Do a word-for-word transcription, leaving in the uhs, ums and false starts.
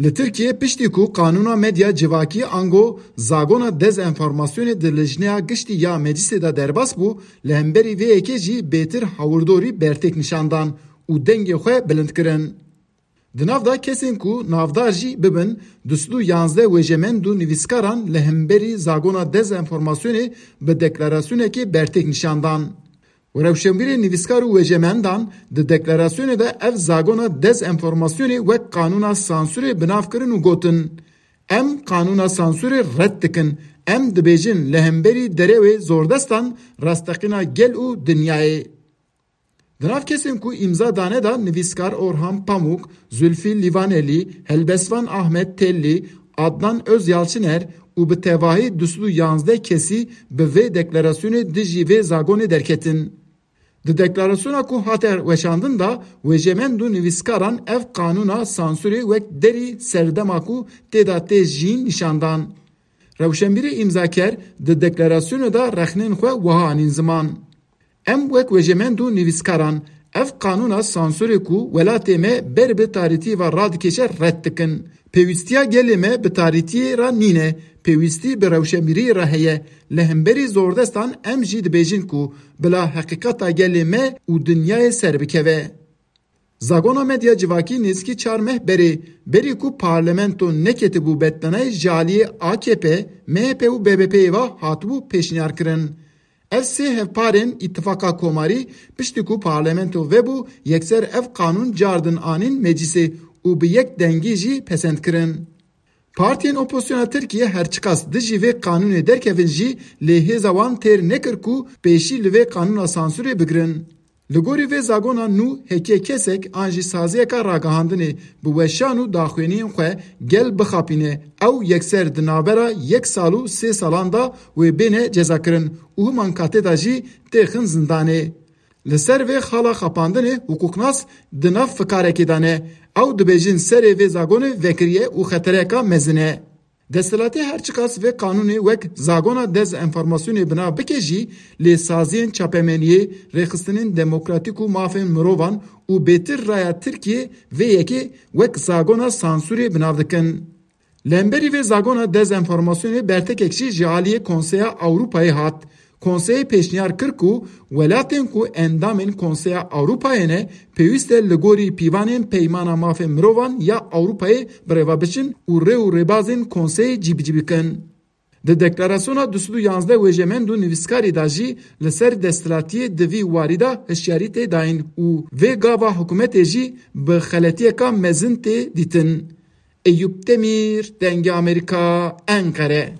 Li Tirkiyê piştî ku qanûna medya civakî ango zagona dezenformasyonê di Lijneya Giştî ya Meclisê de derbas bû, li hemberî vê yekê jî bêtir hawirdorî bertêk nîşan dan û dengê xwe bilind kirin. Di nav de kesên ku navdar jî bibin, du sed û yazdeh wêjemend û nivîskaran li hemberî zagona dezenformasyonê bi deklarasyonekê bertêk nîşan dan. Rewşenbîrê nivîskar û wêjemendan di deklarasyonê de ev zagona dezenformasyonê wek qanûna sansûrê bi nav kirin û gotin, "Em qanûna sansûrê red dikin. Em dibêjin li hemberî derewê zordestan rasteqîna gel û dinyayê." Di nav kesên ku îmza dane de nivîskar Orhan Pamuk, Zulfî Livanelî, helbestvan Ahmet Tellî, Adnan Özyalçıner û bi tevahî du sed û yazdeh kesî bi vê deklarasyonê dijî vê zagonê derketin. Di deklarasyona ku hate weşandin de, wêjemend û nivîskaran ev qanûna sansûrê wek derî serdema ku tê de tê jiyîn nîşan dan. Rewşenbîrê îmzaker di deklarasyonê de rexnên xwe wiha anîn ziman, "Em wek wêjemend û nivîskaran ev qanûna sansûrê ku welatê me ber bi tarîtiyê ve radikêşe red dikin. Pêwîstiya gelê me bi tarîtiyê re nîne, pêwîstî bi rewşenbîriyê re heye. Li hemberî zordestan em jî dibêjin ku bila heqîqeta gelê me û dinyayê ser bikeve." Zagona medya civakî nêzîkî çar meh berê, berî ku parlamento neketibû betnanayê ji aliyê A K P, M H P û B B P'yê ve hatibû pêşniyar kirin. Ev sê hevparên Îtifaqa Komarî piştî ku parlamento vebû, yekser ev qanûn cardin anîn meclisê û bi yek dengî jî pesend kirin. Partiyên opozisyona Tirkiyê her çiqas dijî vê qanûnê derkevin jî, lê hêza wan têr nekir ku pêşî li vê qanûna sansûrê bigirin. Li gorî vê zagona nû heke kesek an jî saziyeka ragihandinê bi weşan û daxuyaniyên xwe gel bixapîne, ew yekser di navbera yek sal û sê salan de wê bêne cezakirin û himan katê de jî têxin zindanê. Li ser vê xala xapandinê hiqûqnas di nav fikarekê de ne. Ew dibêjin serê vê zagonê vekiriye û xetereka mezin e. Desthilatê her çiqas vê qanûnê wek zagona dezenformasyonê bi nav bike jî, lê saziyên çapemeniyê, rêxistinên demokratîk û mafên mirovan û bêtir raya Tirkiyê vê yekê wek zagona sansûrê bi nav dikin. Li hemberî vê zagona dezenformasyonê bertekek jî ji aliyê Konseya Ewropayê hat. Konseyê pêşniyar kir ku welatên ku endamên Konseya Ewropayê ne, pêwîst e li gorî pîvanên Peymana Mafê Mirovan ya Ewropayê bi rêve biçin û rê û rêbazên Konseyê cîbicî bikin. Di deklarasyona du sed û yazdeh wêjemend û nivîskarî de jî li ser desthilatiyê di vî warî de hişyarî tê dayîn û vê gava hikûmetê jî bi xeletiyeka mezin tê dîtin. Eyûp Demîr, Dengê Amerîka, Enqere.